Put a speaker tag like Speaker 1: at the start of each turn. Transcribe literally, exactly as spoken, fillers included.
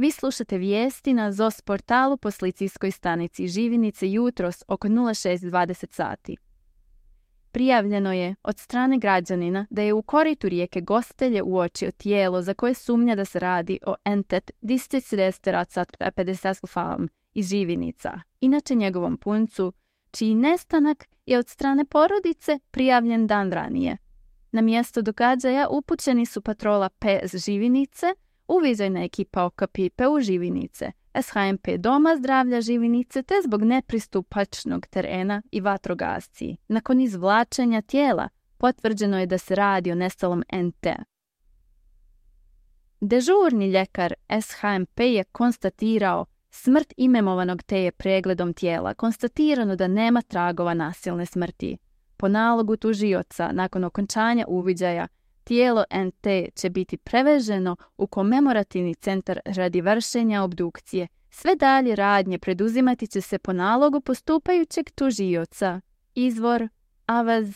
Speaker 1: Vi slušate vijesti na Z O S portalu po policijskoj stanici Živinice jutros oko nula šest dvadeset sati. Prijavljeno je od strane građanina da je u koritu rijeke Gostelje uočio tijelo za koje sumnja da se radi o entet disticiresteracat pedestasfalm iz Živinica, inače njegovom puncu, čiji nestanak je od strane porodice prijavljen dan ranije. Na mjesto događaja upućeni su patrola P S Živinice, uviđajna ekipa Okapipe u Živinice, S H M P Doma zdravlja Živinice te zbog nepristupačnog terena i vatrogasci. Nakon izvlačenja tijela potvrđeno je da se radi o nestalom N T. Dežurni ljekar S H M P je konstatirao smrt imemovanog te je pregledom tijela konstatirano da nema tragova nasilne smrti. Po nalogu tužioca, nakon okončanja uviđaja, tijelo N T će biti preveženo u komemorativni centar radi vršenja obdukcije. Sve dalje radnje preduzimati će se po nalogu postupajućeg tužioca. Izvor Avaz